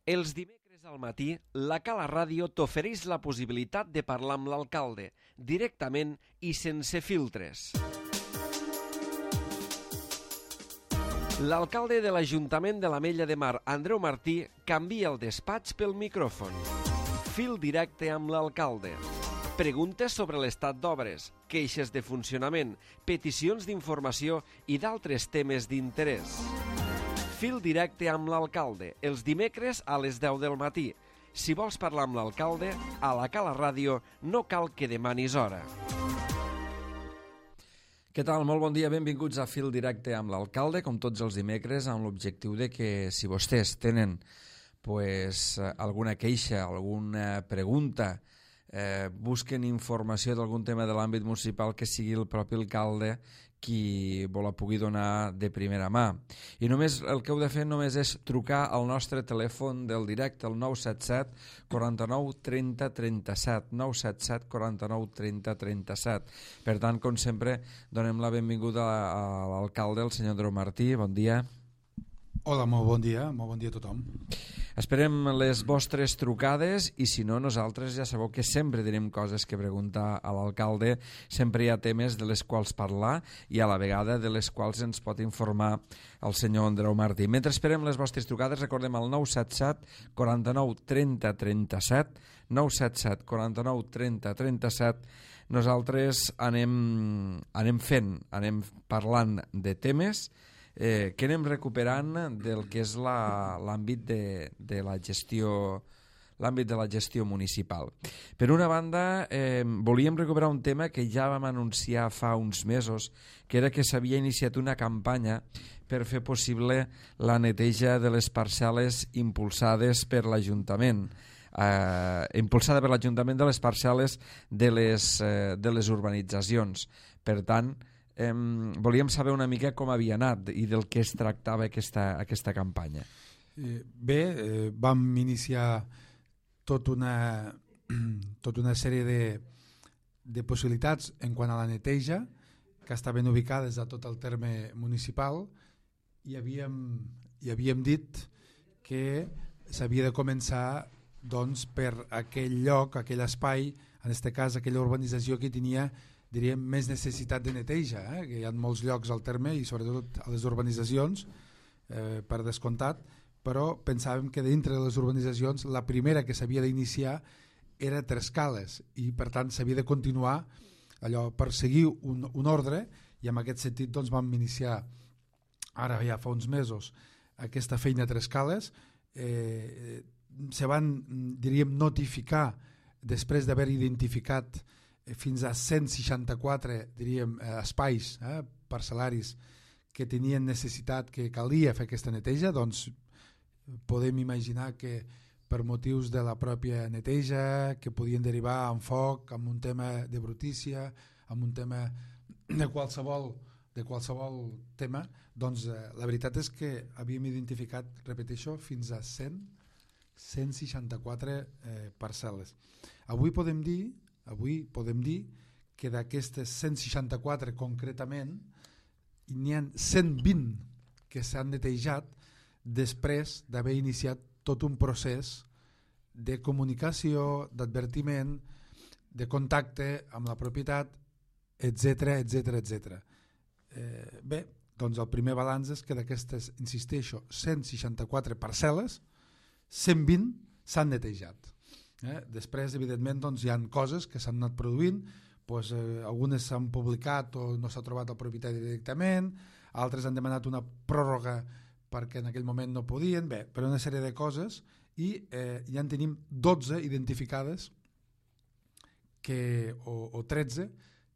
Els dimecres al matí, la Cala Ràdio t'ofereix la possibilitat de parlar amb l'alcalde, directament i sense filtres. L'alcalde de l'Ajuntament de l'Ametlla de Mar, Andreu Martí, canvia el despatx pel micròfon. Fil directe amb l'alcalde. Preguntes sobre l'estat d'obres, queixes de funcionament, peticions d'informació i d'altres temes d'interès. Fil directe amb l'alcalde, els dimecres a les 10 del matí. Si vols parlar amb l'alcalde, a la Cala Ràdio no cal que demanis hora. Què tal? Molt bon dia, benvinguts a Fil Directe amb l'alcalde, com tots els dimecres, amb l'objectiu de que si vostès tenen alguna queixa, alguna pregunta, busquen informació d'algun tema de l'àmbit municipal, que sigui el propi alcalde qui vos la pugui donar de primera mà. I només el que heu de fer només és trucar al nostre telèfon del directe, el 977 49 30 37, 977 49 30 37. Per tant, com sempre, donem la benvinguda a l'alcalde, el senyor Andreu Martí. Bon dia. Hola, molt bon dia a tothom. Esperem les vostres trucades i si no, nosaltres ja sabeu que sempre tenim coses que preguntar a l'alcalde, sempre hi ha temes de les quals parlar i a la vegada de les quals ens pot informar el senyor Andreu Martí. Mentre esperem les vostres trucades, recordem el 977 49 30 37, 977 49 30 37. Nosaltres anem parlant de temes que anem recuperant del que és l'àmbit de la gestió municipal. Per una banda, volíem recuperar un tema que ja vam anunciar fa uns mesos, que era que s'havia iniciat una campanya per fer possible la neteja de les parcel·les impulsades per l'Ajuntament. Impulsada per l'Ajuntament de les parcel·les de les urbanitzacions. Per tant, volíem saber una mica com havia anat i del que es tractava aquesta campanya. Vam iniciar tota una sèrie de possibilitats en quant a la neteja que estaven ubicades a tot el terme municipal i havíem dit que s'havia de començar per aquell lloc, aquell espai, en aquest cas aquella urbanització que tenia, diríem, més necessitat de neteja, que hi ha molts llocs al terme i sobretot a les urbanitzacions, per descomptat, però pensàvem que dintre de les urbanitzacions la primera que s'havia d'iniciar era Trescales i per tant s'havia de continuar allò per seguir un ordre i en aquest sentit doncs vam iniciar ara ja fa uns mesos aquesta feina a Trescales. Se van, diríem, notificar després d'haver identificat fins a 164, diríem, espais parcel·laris que tenien necessitat, que calia fer aquesta neteja. Doncs podem imaginar que per motius de la pròpia neteja, que podien derivar en foc, amb un tema de brutícia, amb un tema de qualsevol tema, doncs la veritat és que havíem identificat, repeteixo, fins a 164 parcel·les. Avui podem dir que d'aquestes 164 concretament n'hi ha 120 que s'han netejat després d'haver iniciat tot un procés de comunicació, d'advertiment, de contacte amb la propietat, etc. Doncs el primer balanç és que d'aquestes, insisteixo, 164 parcel·les, 120 s'han netejat. Després, evidentment, doncs, hi ha coses que s'han anat produint, algunes s'han publicat o no s'ha trobat el propietari directament, altres han demanat una pròrroga perquè en aquell moment no podien, per una sèrie de coses, i ja en tenim 12 identificades o 13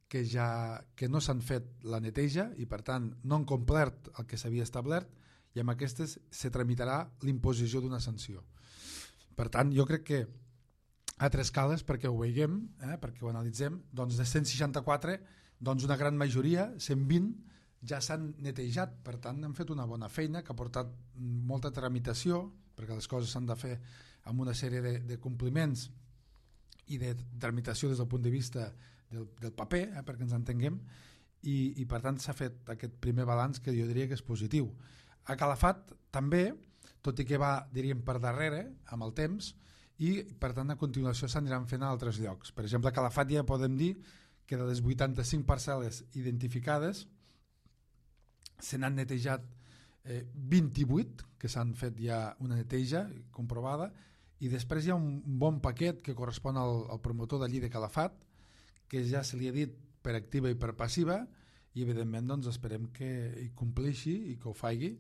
que no s'han fet la neteja i per tant no han complert el que s'havia establert i amb aquestes se tramitarà l'imposició d'una sanció. Per tant, jo crec que a Trescales, perquè ho veiem, perquè ho analitzem, doncs de 164, doncs una gran majoria, 120, ja s'han netejat. Per tant, han fet una bona feina que ha portat molta tramitació, perquè les coses s'han de fer amb una sèrie de compliments i de tramitació des del punt de vista del paper, perquè ens entenguem, i per tant s'ha fet aquest primer balanç que jo diria que és positiu. A Calafat també tot i que va, diríem, per darrere, amb el temps, i per tant a continuació s'aniran fent a altres llocs. Per exemple, a Calafat ja podem dir que de les 85 parcel·les identificades se n'han netejat 28, que s'han fet ja una neteja comprovada, i després hi ha un bon paquet que correspon al promotor d'allí de Calafat, que ja se li ha dit per activa i per passiva, i evidentment doncs, esperem que hi compleixi i que ho faci,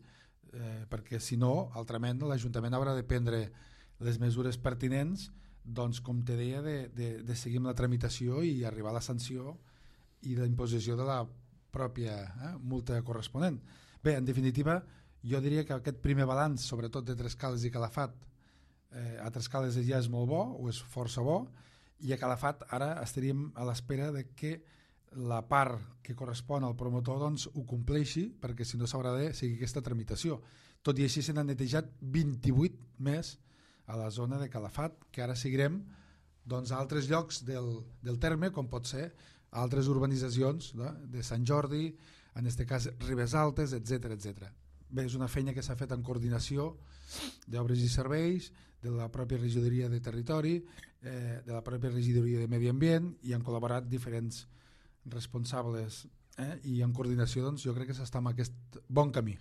perquè si no, altrament l'Ajuntament haurà de prendre les mesures pertinents, doncs, com te deia, de seguir amb la tramitació i arribar a la sanció i la imposició de la pròpia multa corresponent. Bé, en definitiva, jo diria que aquest primer balanç, sobretot de Trescales i Calafat, a Trescales ja és molt bo, o és força bo, i a Calafat ara estaríem a l'espera de que la part que correspon al promotor doncs, ho compleixi, perquè si no s'haurà de seguir aquesta tramitació. Tot i així se n'han netejat 28 més a la zona de Calafat, que ara seguirem doncs, a altres llocs del terme, com pot ser altres urbanitzacions de Sant Jordi, en aquest cas Ribes Altes, etc etc. Bé, és una feina que s'ha fet en coordinació d'Obres i Serveis, de la pròpia regidoria de Territori, de la pròpia regidoria de Medi Ambient, i han col·laborat diferents responsables, i en coordinació doncs, jo crec que s'està en aquest bon camí.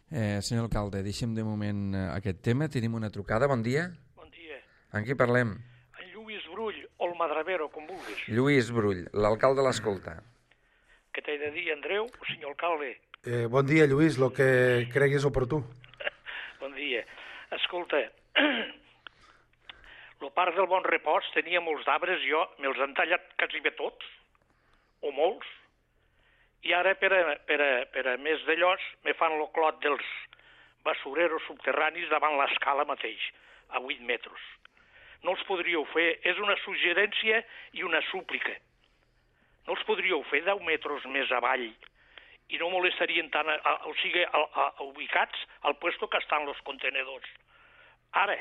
Senyor alcalde, deixem de moment aquest tema. Tenim una trucada, bon dia. Bon dia. Amb qui parlem? En Lluís Brull o el Madravero, com vulguis. Lluís Brull, l'alcalde l'escolta. Què t'he de dir, Andreu, o senyor alcalde? Bon dia, Lluís, el que creguis oportú. Bon dia. Escolta, el parc del Bon Repòs tenia molts d'arbres, jo me'ls han tallat quasi bé tots, o molts, i ara per a més d'allòs me fan el clot dels basureros subterranis davant l'escala mateix, a 8 metres. No els podríeu fer, és una suggerència i una súplica. No els podríeu fer 10 metres més avall i no molestarien tant, o sigui, ubicats al puesto que estan els contenedors. Ara,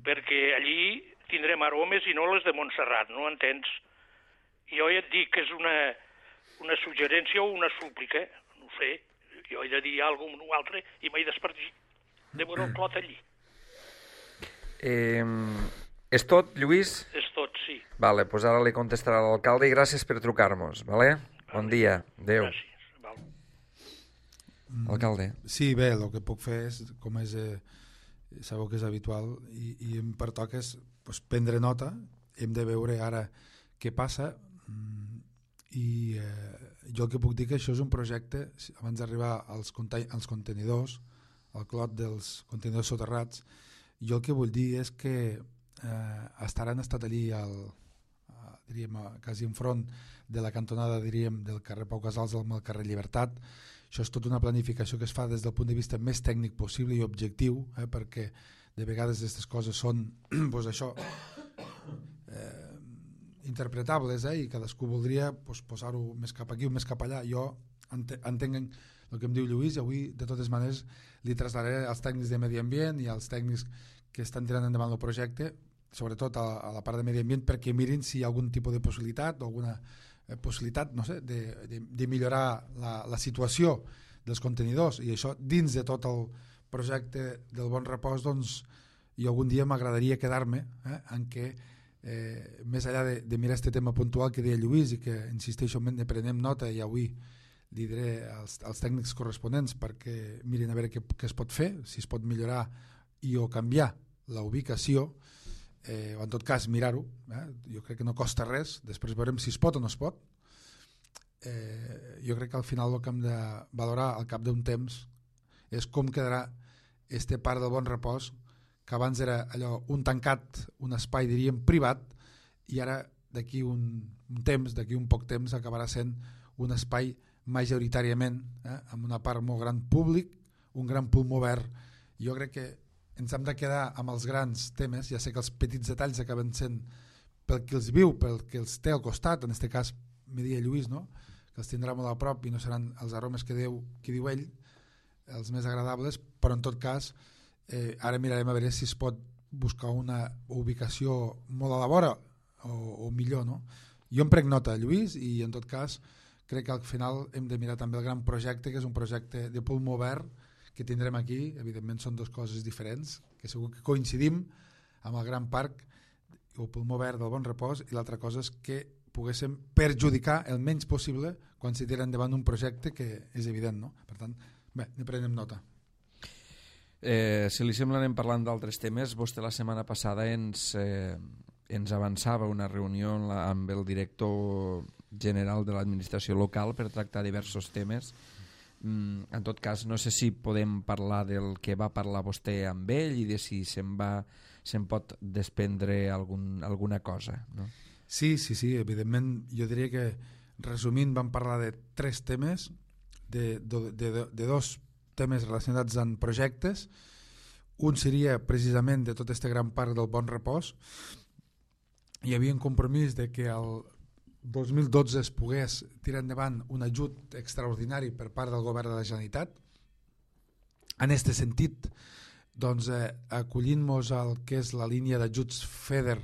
perquè allí tindrem aromes i no les de Montserrat, no entens? Jo ja et dic que és una suggerència o una súplica, no sé, jo he de dir alguna cosa o altre i m'he d'espargir de veure el clot allí. És tot, Lluís? És tot, sí. Vale, doncs ara li contestarà l'alcalde i gràcies per trucar-nos, vale? Bon dia, adéu. Gràcies. Val. Alcalde. Sí, bé, el que puc fer és, com és, sabeu que és habitual, i em pertoca és prendre nota, hem de veure ara què passa, i jo el que puc dir que això és un projecte, abans d'arribar als contenidors, al clot dels contenidors soterrats, jo el que vull dir és que han estat allí diríem, quasi enfront de la cantonada, diríem, del carrer Pau Casals al carrer Llibertat. Això és tota una planificació que es fa des del punt de vista més tècnic possible i objectiu, perquè de vegades aquestes coses són doncs això, interpretables, i cadascú voldria posar-ho més cap aquí o més cap allà. Jo entenc el que em diu Lluís, i avui de totes maneres li traslladaré als tècnics de Medi Ambient i als tècnics que estan tirant endavant el projecte, sobretot a la part de Medi Ambient, perquè mirin si hi ha algun tipus de possibilitat o alguna possibilitat, no sé, de millorar la situació dels contenidors, i això dins de tot el projecte del Bon Repòs. Doncs jo algun dia m'agradaria quedar-me en què més enllà de mirar aquest tema puntual que deia Lluís, i que insisteixo ne prenem nota, i avui li diré als tècnics corresponents perquè mirin a veure què es pot fer, si es pot millorar i o canviar la ubicació, o en tot cas mirar-ho, jo crec que no costa res, després veurem si es pot o no es pot. Jo crec que al final el que hem de valorar al cap d'un temps és com quedarà este parc del Bon Repòs, que abans era allò, un tancat, un espai, diríem, privat, i ara d'aquí un temps, d'aquí un poc temps, acabarà sent un espai majoritàriament, amb una part molt gran públic, un gran pulmó verd. Jo crec que ens hem de quedar amb els grans temes, ja sé que els petits detalls acaben sent pel que els viu, pel que els té al costat, en aquest cas me deia Lluís, no? Que els tindrà molt a prop i no seran els aromes que diu ell els més agradables, però en tot cas ara mirarem a veure si es pot buscar una ubicació molt a la vora o millor, no? Jo em prenc nota, Lluís, i en tot cas crec que al final hem de mirar també el gran projecte, que és un projecte de pulmó verd que tindrem aquí, evidentment són dues coses diferents, que segur que coincidim amb el Gran Parc o Pulmó Verd del Bon Repòs, i l'altra cosa és que poguéssim perjudicar el menys possible quan se tira endavant un projecte que és evident, no? Per tant, bé, ne prenem nota. Si li sembla, anem parlant d'altres temes. Vostè la setmana passada ens avançava una reunió amb el director general de l'administració local per tractar diversos temes. En tot cas, no sé si podem parlar del que va parlar vostè amb ell i de si se'n pot desprendre alguna cosa, no? Sí, evidentment, jo diria que, resumint, vam parlar de 3 temes, de 2 temes relacionats amb projectes. Un seria precisament de tot este Gran Parc del Bon Repòs. Hi havia un compromís de que el 2012 es pogués tirar endavant un ajut extraordinari per part del govern de la Generalitat. En aquest sentit, doncs, acollint-nos al que és la línia d'ajuts FEDER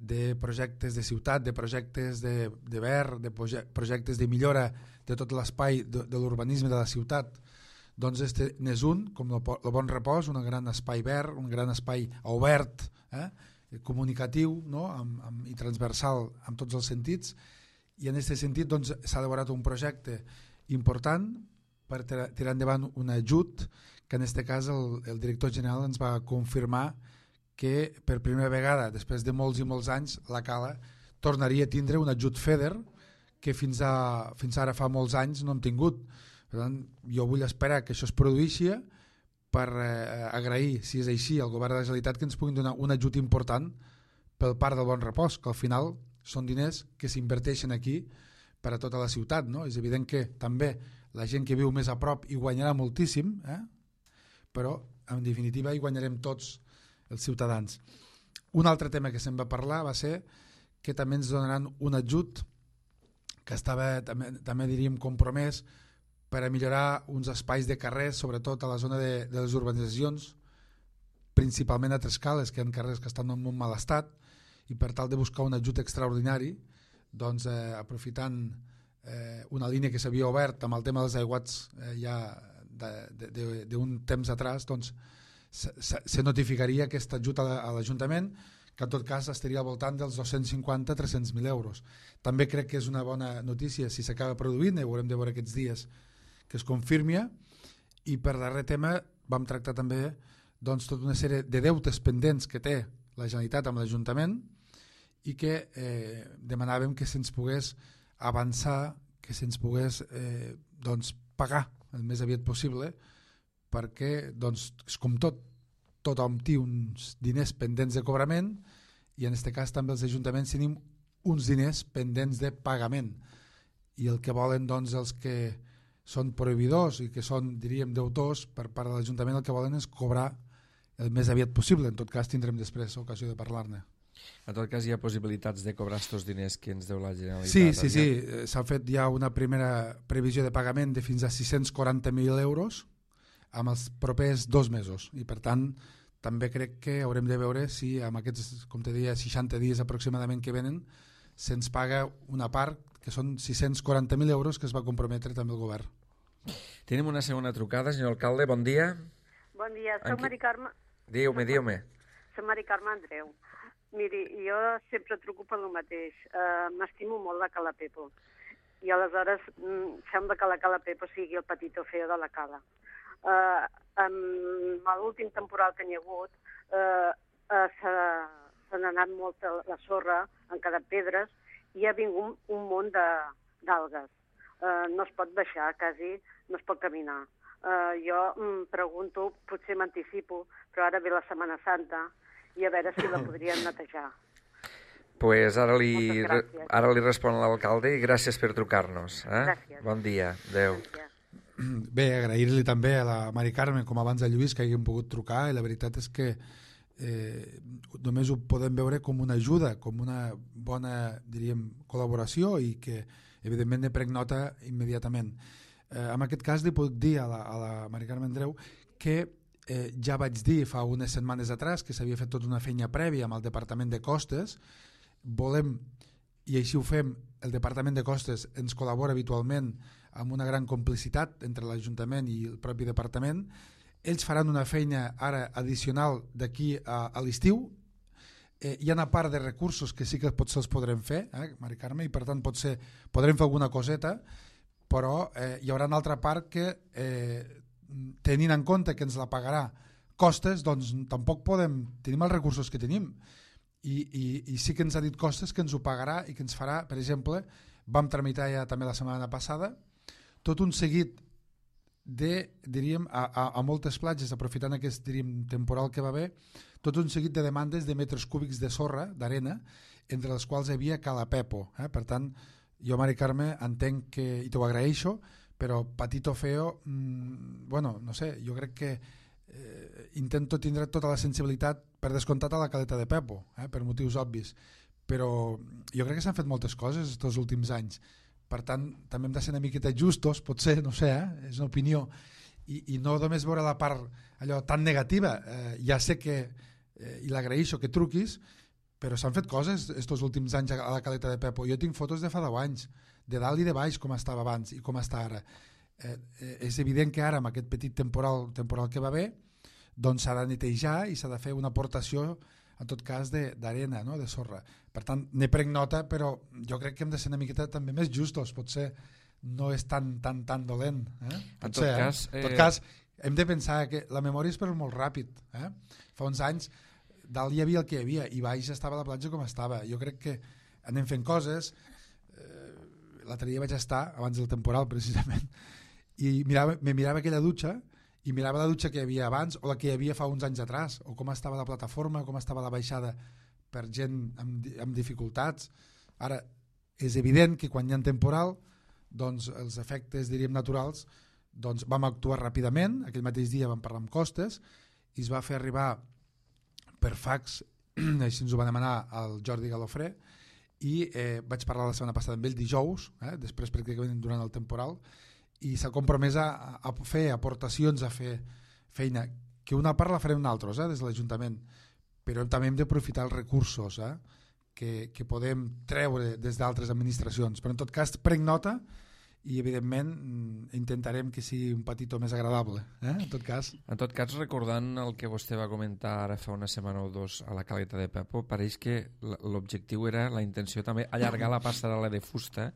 de projectes de ciutat, de projectes de verd, de projectes de millora de tot l'espai de l'urbanisme de la ciutat, doncs este n'és un, com el Bon Repòs, un gran espai verd, un gran espai obert, comunicatiu, no? I transversal en tots els sentits, i en aquest sentit doncs, s'ha elaborat un projecte important per tirar endavant un ajut que en aquest cas el director general ens va confirmar que per primera vegada, després de molts i molts anys, la Cala tornaria a tindre un ajut FEDER que fins ara fa molts anys no hem tingut. Per tant, jo vull esperar que això es produeixi per agrair, si és així, al govern de la Generalitat que ens puguin donar un ajut important pel Parc del Bon Repòs, que al final són diners que s'inverteixen aquí per a tota la ciutat, no? És evident que també la gent que viu més a prop hi guanyarà moltíssim, però en definitiva hi guanyarem tots els ciutadans. Un altre tema que se'n va parlar va ser que també ens donaran un ajut que estava també diríem compromès per a millorar uns espais de carrers, sobretot a la zona de les urbanitzacions, principalment a Trescales, que hi ha carrers que estan en un mal estat, i per tal de buscar un ajut extraordinari, doncs aprofitant una línia que s'havia obert amb el tema dels aiguats ja d'un temps atrás, doncs se notificaria aquest ajut a l'Ajuntament, que en tot cas estaria al voltant dels 250-300.000 euros. També crec que és una bona notícia si s'acaba produint, ho haurem de veure aquests dies que es confirmi. I per darrer tema vam tractar també doncs, tota una sèrie de deutes pendents que té la Generalitat amb l'Ajuntament i que demanàvem que se'ns pogués avançar, que se'ns pogués doncs, pagar el més aviat possible, perquè doncs, és com tothom té uns diners pendents de cobrament i en aquest cas també els ajuntaments tenim uns diners pendents de pagament, i el que volen doncs, els que són prohibidors i que són, diríem, deutors per part de l'Ajuntament, el que volen és cobrar el més aviat possible. En tot cas tindrem després ocasió de parlar-ne. En tot cas hi ha possibilitats de cobrar aquests diners que ens deu la Generalitat. Sí, s'ha fet ja una primera previsió de pagament de fins a 640.000 euros amb els propers 2 mesos, i per tant també crec que haurem de veure si amb aquests, com te deia, 60 dies aproximadament que venen se'ns paga una part, que són 640.000 euros que es va comprometre també el govern. Tenim una segona trucada, senyor alcalde, bon dia. Bon dia, soc Mari Carme. Diu-me. Soc Mari Carme Andreu. Miri, jo sempre truco per el mateix. M'estimo molt la Cala Pepo. I aleshores sembla que la Cala Pepo sigui el petitó feo de la Cala. Amb l'últim temporal que n'hi ha hagut se n'ha anat molt la sorra, han quedat pedres i ha vingut un munt d'algues. No es pot baixar, quasi no es pot caminar. Jo em pregunto, potser m'anticipo, però ara ve la Setmana Santa i a veure si la podrien netejar. Pues ara li respon l'alcalde i gràcies per trucar-nos. Gràcies. Bon dia, adeu. Bé, agrair-li també a la Mari Carme, com abans a Lluís, que hagin pogut trucar, i la veritat és que només ho podem veure com una ajuda, com una bona, diríem, col·laboració, i que evidentment ne prenc nota immediatament. En aquest cas li puc dir a la Mari Carme Andreu que ja vaig dir fa unes setmanes atrás que s'havia fet tota una feina prèvia amb el Departament de Costes. Volem i així ho fem. El Departament de Costes ens col·labora habitualment amb una gran complicitat entre l'Ajuntament i el propi departament. Ells faran una feina ara addicional d'aquí a l'estiu. Hi ha una part de recursos que sí que potser els podrem fer, Mari Carme, i per tant potser podrem fer alguna coseta, però hi haurà una altra part que, tenint en compte que ens la pagarà Costes, doncs tampoc tenim els recursos que tenim, i sí que ens ha dit Costes que ens ho pagarà i que ens farà, per exemple, vam tramitar ja també la setmana passada, tot un seguit diríem, a moltes platges, aprofitant aquest, diríem, temporal que va haver, tot un seguit de demandes de metres cúbics de sorra, d'arena, entre les quals hi havia Cala Pepo. Per tant, jo, Mari Carme, entenc que, i t'ho agraeixo, però patito feo, bueno, no sé, jo crec que intento tindre tota la sensibilitat per descomptat a la Caleta de Pepo, per motius obvis, però jo crec que s'han fet moltes coses aquests últims anys. Per tant, també hem de ser una miqueta justos, potser, no sé, és una opinió, i no només veure la part allò tan negativa. Ja sé que, i l'agraeixo que truquis, però s'han fet coses aquests últims anys a la Caleta de Pepo. Jo tinc fotos de fa 10 anys, de dalt i de baix, com estava abans i com està ara. És evident que ara, amb aquest petit temporal que va haver, doncs s'ha de netejar i s'ha de fer una aportació, en tot cas, d'arena, no? De sorra. Per tant, ne prenc nota, però jo crec que hem de ser una miqueta també més justos. Potser no és tan dolent. Potser, en tot cas, hem de pensar que la memòria és per molt ràpid. Fa uns anys, dalt hi havia el que hi havia i baix estava la platja com estava. Jo crec que anem fent coses. L'altre dia vaig estar, abans del temporal, precisament, i me mirava aquella dutxa i mirava la dutxa que hi havia abans o la que hi havia fa uns anys atrás, o com estava la plataforma, com estava la baixada per gent amb dificultats. Ara, és evident que quan hi ha temporal, doncs els efectes, diríem, naturals, doncs vam actuar ràpidament. Aquell mateix dia vam parlar amb Costes i es va fer arribar per fax, així ens ho va demanar el Jordi Galofré, i vaig parlar la setmana passada amb ell dijous, després pràcticament durant el temporal, i s'ha compromès a fer aportacions, a fer feina, que una part la farem nosaltres, des de l'Ajuntament, però també hem d'aprofitar els recursos que podem treure des d'altres administracions. Però en tot cas prenc nota i evidentment intentarem que sigui un petitó més agradable, en tot cas. En tot cas, recordant el que vostè va comentar ara fa una setmana o dos a la Caleta de Pepo, pareix que l'objectiu era, la intenció també, allargar la passarel·la de fusta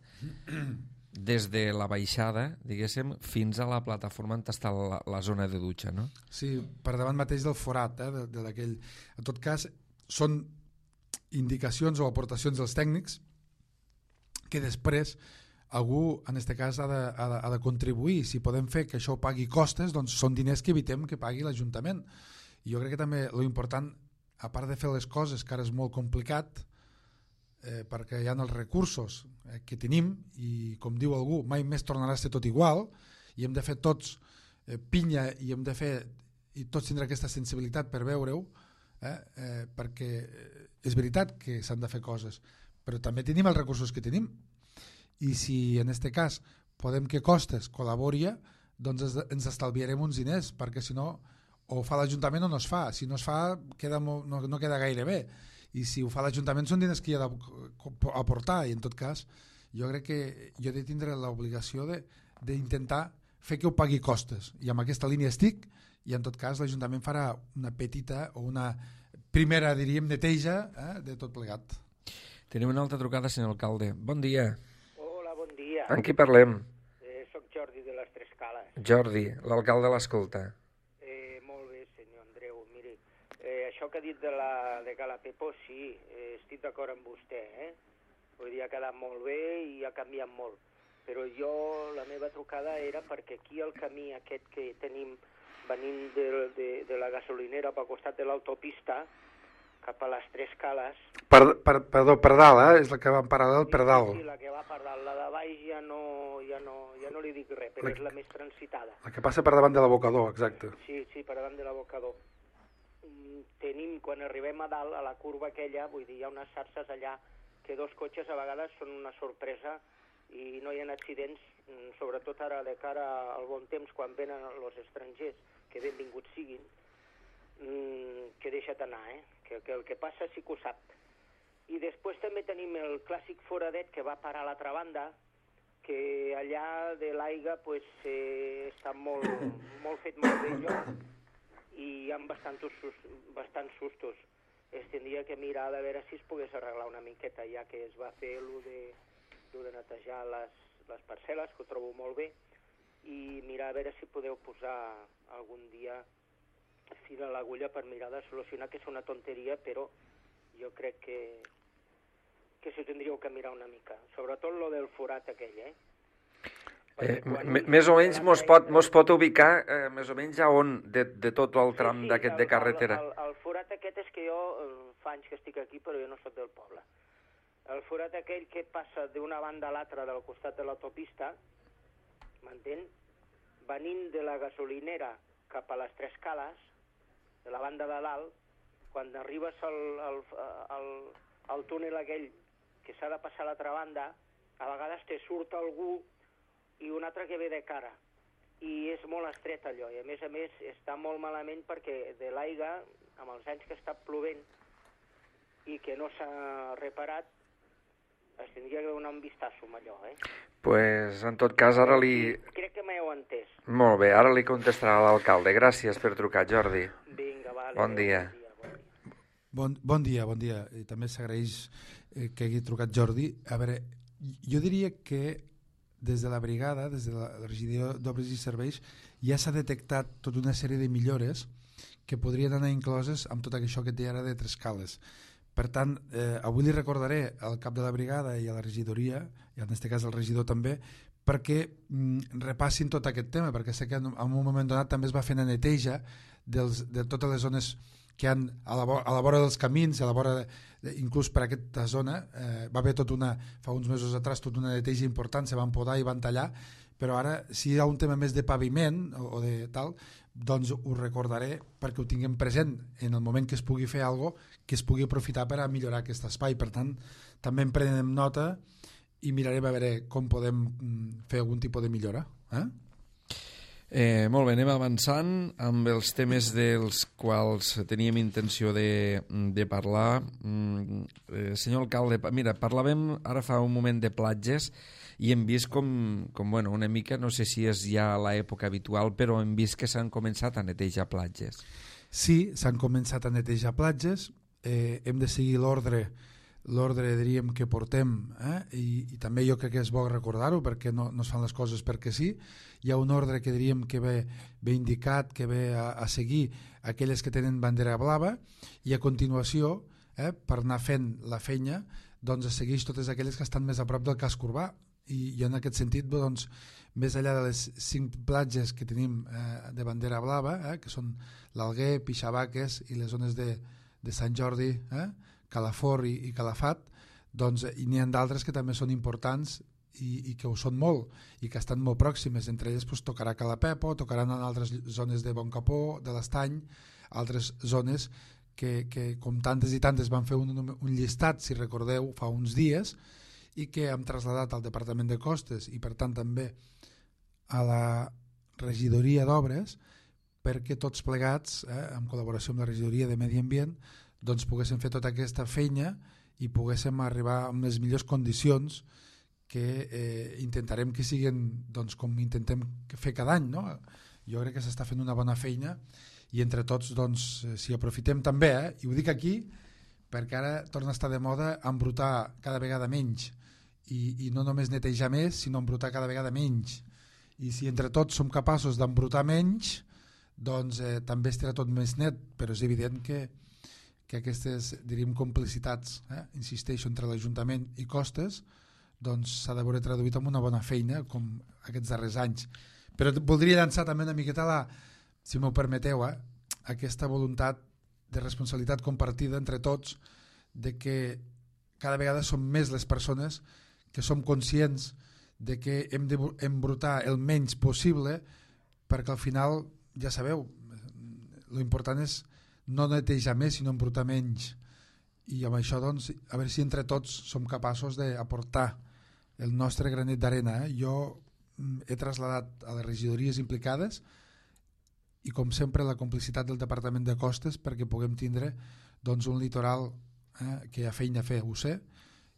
des de la baixada, diguéssim, fins a la plataforma on està la zona de dutxa, no? Sí, per davant mateix del forat, d'aquell. En tot cas, són indicacions o aportacions dels tècnics que després algú, en aquest cas, ha de contribuir. Si podem fer que això pagui Costes, doncs són diners que evitem que pagui l'Ajuntament. I jo crec que també l'important, a part de fer les coses, que ara és molt complicat, perquè hi ha els recursos que tenim i, com diu algú, mai més tornarà a ser tot igual, i hem de fer tots pinya i hem de fer, i tots tindrà aquesta sensibilitat per veure-ho, perquè és veritat que s'han de fer coses, però també tenim els recursos que tenim, i si en aquest cas podem que Costes col·labori, doncs ens estalviarem uns diners, perquè si no, o fa l'Ajuntament o no es fa. Si no es fa, no queda gaire bé, i si ho fa l'Ajuntament són diners que hi ha d'aportar, i en tot cas jo crec que jo he de tindre l'obligació d'intentar fer que ho pagui Costes, i amb aquesta línia estic, i en tot cas l'Ajuntament farà una petita o una primera, diríem, neteja de tot plegat. Tenim una altra trucada, senyor alcalde. Bon dia. Hola, bon dia. En qui parlem? Soc Jordi de les Tres Cales. Jordi, l'alcalde l'escolta. Molt bé, senyor Andreu. Miri, això que ha dit de Cala Pepo, sí, estic d'acord amb vostè. Vull dir, ha quedat molt bé i ha canviat molt. Però la meva trucada era perquè aquí el camí aquest que tenim venint de la gasolinera pel costat de l'autopista cap a les Tres Cales... Perdó, per dalt, és la que va en paral·lel per dalt. Sí, la que va per dalt. La de baix ja no li dic res, però és la més transitada. La que passa per davant de l'abocador, exacte. Sí, per davant de l'abocador. Tenim, quan arribem a dalt, a la curva aquella, vull dir, hi ha unes xarxes allà que dos cotxes a vegades són una sorpresa i no hi ha accidents, sobretot ara de cara al bon temps, quan venen els estrangers, que benvinguts siguin, que deixa't anar, que el que passa sí que ho sap. I després també tenim el clàssic foradet que va parar a l'altra banda, que allà de l'aigua pues, està molt fet molt bé lloc i hi ha bastants sustos. Es tindria que mirar de veure si es pogués arreglar una miqueta, ja que es va fer lo de netejar les parcel·les, que ho trobo molt bé, i mirar a veure si podeu posar algun dia fil a l'agulla per mirar de solucionar, que és una tonteria, però jo crec que s'ho tindríeu que mirar una mica. Sobretot lo del forat aquell, Més o menys mos pot ubicar més o menys a on de tot el tram d'aquest de carretera? El forat aquest és que jo fa anys que estic aquí, però jo no soc del poble. El forat aquell que passa d'una banda a l'altra del costat de l'autopista, m'entén? Venint de la gasolinera cap a les Tres Cales, de la banda de dalt, quan arribes al túnel aquell que s'ha de passar a l'altra banda, a vegades te surt algú i un altre que ve de cara. I és molt estret allò, i a més està molt malament perquè de l'aigua, amb els anys que està plovent i que no s'ha reparat, es tindria que donar un vistazo amb allò, Pues, en tot cas, ara li... Crec que m'heu entès. Molt bé, ara li contestarà l'alcalde. Gràcies per trucar, Jordi. Vinga, vale. Bon dia. Bon dia. I també s'agraeix que hagi trucat Jordi. A veure, jo diria que des de la brigada, des de la regidoria d'Obres i Serveis, ja s'ha detectat tota una sèrie de millores que podrien anar incloses amb tot això que té ara de Tres Cales. Per tant, avui li recordaré al cap de la brigada i a la regidoria, i en aquest cas al regidor també, perquè repassin tot aquest tema, perquè sé que en un moment donat també es va fer una neteja de totes les zones que hi ha a la vora dels camins, a la vora inclús per aquesta zona, va haver fa uns mesos atrás tota una neteja important, se van podar i van tallar, però ara si hi ha un tema més de paviment o de tal, doncs ho recordaré perquè ho tinguem present en el moment que es pugui fer alguna cosa que es pugui aprofitar per a millorar aquest espai. Per tant, també en prenem nota i mirarem a veure com podem fer algun tipus de millora. Molt bé, anem avançant amb els temes dels quals teníem intenció de parlar. Senyor alcalde, mira, parlàvem ara fa un moment de platges i hem vist com bueno, una mica, no sé si és ja l'època habitual, però hem vist que s'han començat a netejar platges. Sí, s'han començat a netejar platges, hem de seguir l'ordre diríem que portem, i també jo crec que és bo recordar-ho perquè no es fan les coses perquè sí. Hi ha un ordre que diríem que ve indicat, que ve a seguir aquelles que tenen bandera blava, i a continuació, per anar fent la feina, doncs es segueix totes aquelles que estan més a prop del casc urbà, i en aquest sentit, doncs, més enllà de les 5 platges que tenim de bandera blava, que són l'Alguer, Pixabaques i les zones de Sant Jordi, Calafort i Calafat, doncs n'hi ha d'altres que també són importants i que ho són molt i que estan molt pròximes. Entre elles doncs, tocarà Calapepo, tocaran en altres zones de Boncapó, de l'Estany, altres zones que com tantes i tantes van fer un llistat, si recordeu, fa uns dies, i que hem traslladat al Departament de Costes i per tant també a la regidoria d'Obres perquè tots plegats, en col·laboració amb la regidoria de Medi Ambient, doncs poguéssim fer tota aquesta feina i poguéssim arribar amb les millors condicions que intentarem que siguin doncs, com intentem fer cada any. No? Jo crec que s'està fent una bona feina i entre tots, doncs, si aprofitem també, i ho dic aquí perquè ara torna a estar de moda embrutar cada vegada menys i no només netejar més, sinó embrutar cada vegada menys. I si entre tots som capaços d'embrutar menys, doncs també estarà tot més net, però és evident que aquestes, diríem, complicitats, insisteixo, entre l'Ajuntament i Costes, doncs s'ha de veure traduït en una bona feina, com aquests darrers anys. Però voldria llançar també una miqueta, si m'ho permeteu, aquesta voluntat de responsabilitat compartida entre tots, de que cada vegada som més les persones que som conscients de que hem d'embrutar el menys possible, perquè al final, ja sabeu, l'important és no netejar més, sinó embrutar menys. I amb això, doncs, a veure si entre tots som capaços d'aportar el nostre granet d'arena. Jo he traslladat a les regidories implicades i, com sempre, la complicitat del Departament de Costes perquè puguem tindre doncs, un litoral que hi ha feina a fer, ho sé,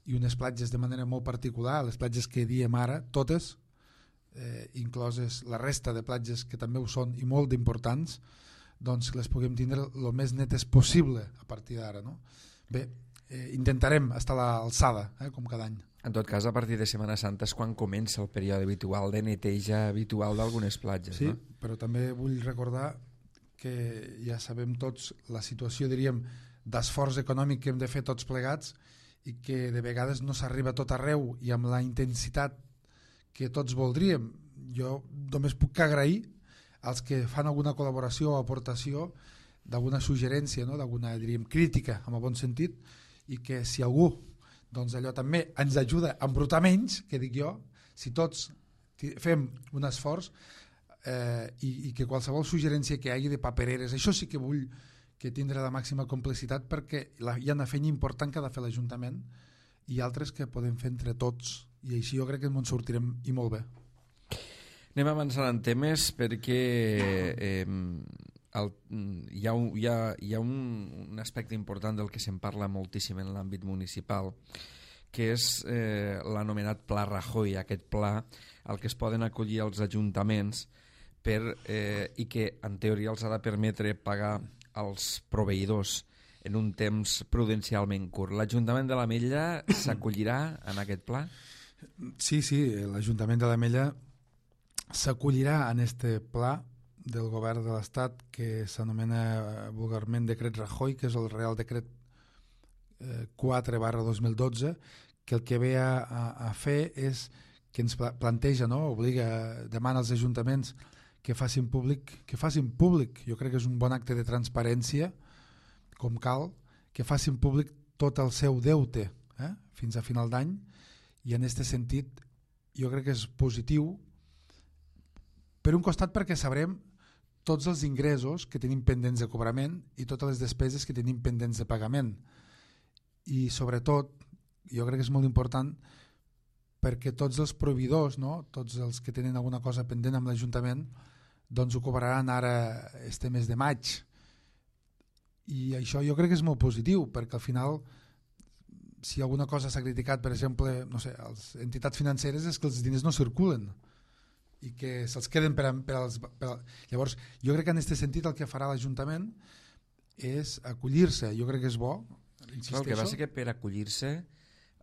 i unes platges de manera molt particular, les platges que diem ara, totes, incloses la resta de platges que també ho són i molt importants, doncs les puguem tindre el més netes possible a partir d'ara, no? Bé, intentarem estar a l'alçada, com cada any. En tot cas, a partir de Setmana Santa és quan comença el període habitual de neteja habitual d'algunes platges, sí, no? Però també vull recordar que ja sabem tots la situació, diríem, d'esforç econòmic que hem de fer tots plegats i que de vegades no s'arriba a tot arreu i amb la intensitat que tots voldríem. Jo només puc agrair als que fan alguna col·laboració o aportació d'alguna suggerència, no? D'alguna, diríem, crítica, en el bon sentit, i que si algú doncs allò també ens ajuda a embrutar menys, que dic jo, si tots fem un esforç i que qualsevol suggerència que hi hagi de papereres, això sí que vull que tindrà la màxima complicitat, perquè hi ha una feina important que ha de fer l'Ajuntament i altres que podem fer entre tots, i així jo crec que ens sortirem i molt bé. Anem avançant en temes perquè hi ha un aspecte important del que se'n parla moltíssim en l'àmbit municipal, que és l'anomenat Pla Rajoy, aquest pla al que es poden acollir els ajuntaments i que en teoria els ha de permetre pagar als proveïdors en un temps prudencialment curt. L'Ajuntament de l'Ametlla s'acollirà en aquest pla? Sí, l'Ajuntament de l'Ametlla s'acollirà en este pla del govern de l'Estat que s'anomena vulgarment Decret Rajoy, que és el Real Decret 4/2012, que el que ve a fer és que ens planteja, no? Obliga, demana als ajuntaments que facin públic, jo crec que és un bon acte de transparència, com cal, que facin públic tot el seu deute fins a final d'any, i en aquest sentit jo crec que és positiu, per un costat perquè sabrem tots els ingressos que tenim pendents de cobrament i totes les despeses que tenim pendents de pagament, i sobretot jo crec que és molt important perquè tots els proveïdors, no? Tots els que tenen alguna cosa pendent amb l'Ajuntament, doncs ho cobraran ara este mes de maig, i això jo crec que és molt positiu, perquè al final si alguna cosa s'ha criticat, per exemple, no sé, a les entitats financeres, és que els diners no circulen i que se'ls queden llavors jo crec que en aquest sentit el que farà l'Ajuntament és acollir-se. Jo crec que és bo, insisteixo. El que passa és que per acollir-se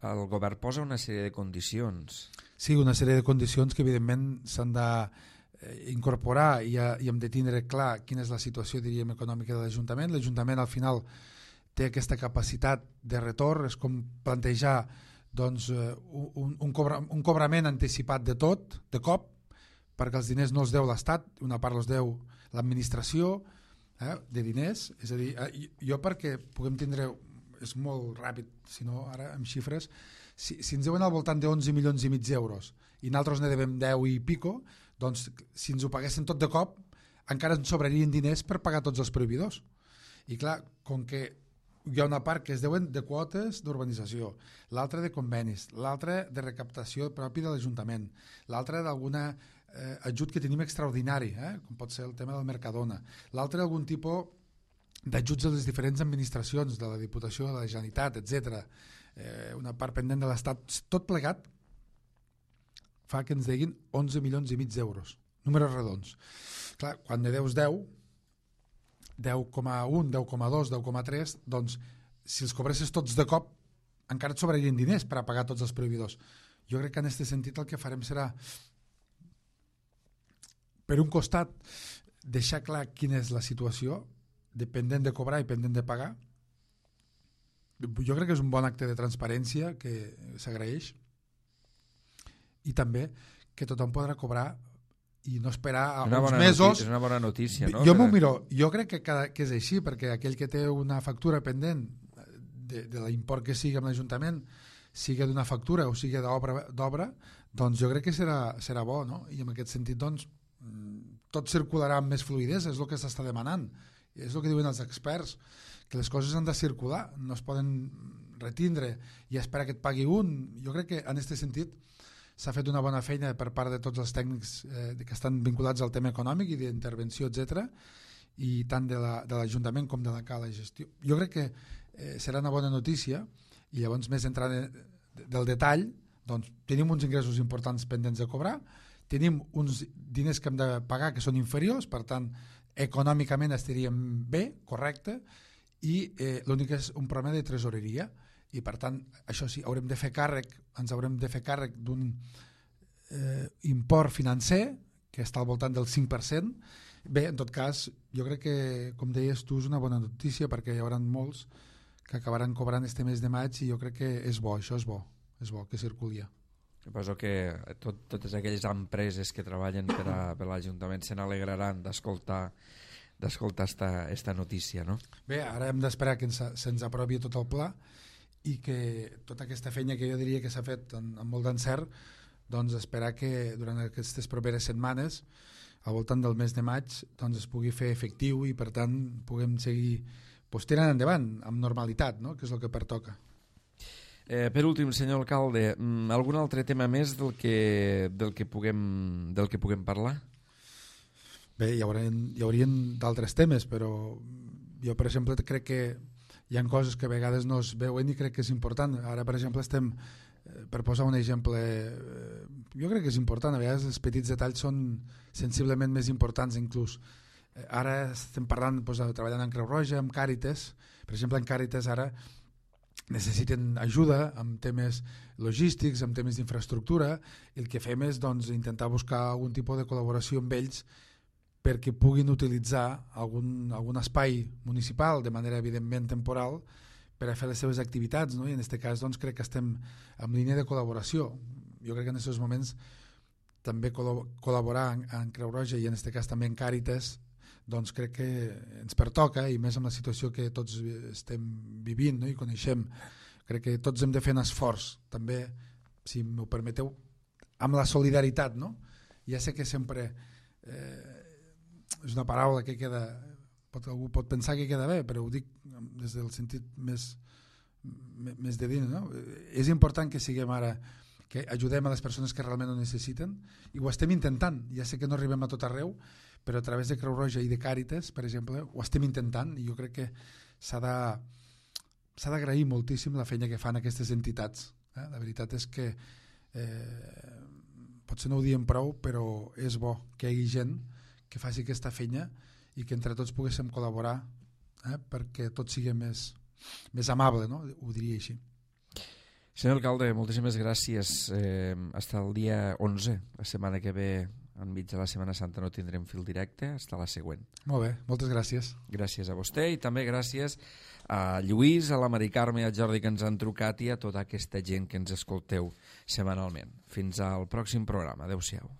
el govern posa una sèrie de condicions. Sí, una sèrie de condicions que evidentment s'han d'incorporar i hem de tindre clar quina és la situació, diríem, econòmica de l'Ajuntament. L'Ajuntament al final té aquesta capacitat de retorn, és com plantejar doncs, un cobrament anticipat de tot, de cop, perquè els diners no els deu l'Estat, una part els deu l'administració de diners. És a dir, jo perquè puguem tindre, és molt ràpid, si no ara amb xifres, si ens deuen al voltant de 11 milions i mig d'euros i nosaltres ne devem 10 i pico, doncs si ens ho paguessin tot de cop encara ens sobrarien diners per pagar tots els proveïdors. I clar, com que hi ha una part que es deuen de quotes d'urbanització, l'altra de convenis, l'altra de recaptació propi de l'Ajuntament, l'altra d'alguna ajut que tenim extraordinari, com pot ser el tema del Mercadona, l'altre algun tipus d'ajuts a les diferents administracions de la Diputació, de la Generalitat, etc. Una part pendent de l'Estat, tot plegat fa que ens deguin 11 milions i mig d'euros, números redons. Clar, quan ne deus 10, 10,1, 10,2, 10,3, doncs si els cobressis tots de cop encara et sobrarien diners per a pagar tots els proveïdors. Jo crec que en aquest sentit el que farem serà, per un costat, deixar clar quina és la situació, dependent de cobrar i pendent de pagar. Jo crec que és un bon acte de transparència que s'agraeix, i també que tothom podrà cobrar i no esperar uns mesos. És una bona notícia, no? Jo m'ho miro, jo crec que és així, perquè aquell que té una factura pendent de l'import que sigui amb l'Ajuntament, sigui d'una factura o sigui d'obra, doncs jo crec que serà bo, no? I en aquest sentit doncs tot circularà amb més fluïdesa, és el que s'està demanant, és el que diuen els experts, que les coses han de circular, no es poden retindre i esperar que et pagui un. Jo crec que en aquest sentit s'ha fet una bona feina per part de tots els tècnics que estan vinculats al tema econòmic i d'intervenció, etc., i tant de l'Ajuntament com de la Cala Gestió. Jo crec que serà una bona notícia, i llavors més entrant del detall, doncs tenim uns ingressos importants pendents de cobrar, tenim uns diners que hem de pagar que són inferiors, per tant econòmicament estaríem bé, correcte, i l'únic és un problema de tresoreria, i per tant això sí, ens haurem de fer càrrec d'un import financer que està al voltant del 5%. Bé, en tot cas, jo crec que, com deies tu, és una bona notícia, perquè hi haurà molts que acabaran cobrant este mes de maig, i jo crec que és bo, això és bo que circuli. Suposo que totes aquelles empreses que treballen per l'Ajuntament se n'alegraran d'escoltar esta notícia, no? Bé, ara hem d'esperar que se'ns aprovi tot el pla, i que tota aquesta feina que jo diria que s'ha fet amb molt d'encert, doncs esperar que durant aquestes properes setmanes, al voltant del mes de maig, doncs es pugui fer efectiu, i per tant puguem seguir tirant endavant amb normalitat, no? Que és el que pertoca. Per últim, senyor alcalde, algun altre tema més del que puguem parlar? Bé, hi haurien d'altres temes, però jo, per exemple, crec que hi ha coses que a vegades no es veuen i crec que és important. Ara, per exemple, estem, per posar un exemple, jo crec que és important, a vegades els petits detalls són sensiblement més importants inclús. Ara estem parlant, treballant en Creu Roja, amb Càritas. Per exemple, en Càritas ara necessiten ajuda amb temes logístics, amb temes d'infraestructura, i el que fem és intentar buscar algun tipus de col·laboració amb ells perquè puguin utilitzar algun espai municipal de manera evidentment temporal per a fer les seves activitats, no? I en aquest cas crec que estem en línia de col·laboració. Jo crec que en aquests moments també col·laborar en Creu Roja, i en aquest cas també en Càritas, doncs crec que ens pertoca, i més amb la situació que tots estem vivint, no? I coneixem. Crec que tots hem de fer un esforç també, si m'ho permeteu, amb la solidaritat, no? Ja sé que sempre és una paraula que queda, algú pot pensar que queda bé, però ho dic des del sentit més de dins, no? És important que siguem ara, que ajudem a les persones que realment ho necessiten, i ho estem intentant. Ja sé que no arribem a tot arreu, però a través de Creu Roja i de Càritas, per exemple, ho estem intentant, i jo crec que s'ha d'agrair moltíssim la feina que fan aquestes entitats. La veritat és que potser no ho diem prou, però és bo que hi hagi gent que faci aquesta feina i que entre tots poguéssim col·laborar perquè tot sigui més amable, no? Ho diria així. Senyor alcalde, moltíssimes gràcies. Hasta el dia 11, la setmana que ve, enmig de la Setmana Santa, no tindrem fil directe, hasta la següent. Molt bé, moltes gràcies. Gràcies a vostè, i també gràcies a Lluís, a la Mari Carme i a Jordi, que ens han trucat, i a tota aquesta gent que ens escolteu setmanalment. Fins al pròxim programa. Adéu-siau.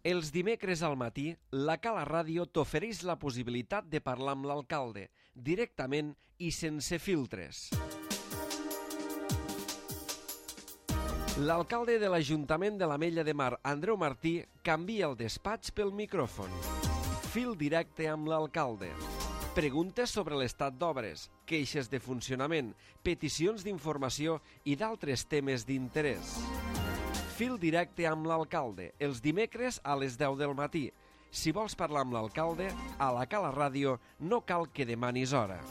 Els dimecres al matí, la Cala Ràdio t'ofereix la possibilitat de parlar amb l'alcalde, directament i sense filtres. L'alcalde de l'Ajuntament de l'Ametlla de Mar, Andreu Martí, canvia el despatx pel micròfon. Fil directe amb l'alcalde. Preguntes sobre l'estat d'obres, queixes de funcionament, peticions d'informació i d'altres temes d'interès. Fil directe amb l'alcalde, els dimecres a les 10 del matí. Si vols parlar amb l'alcalde, a la Cala Ràdio no cal que demanis hora.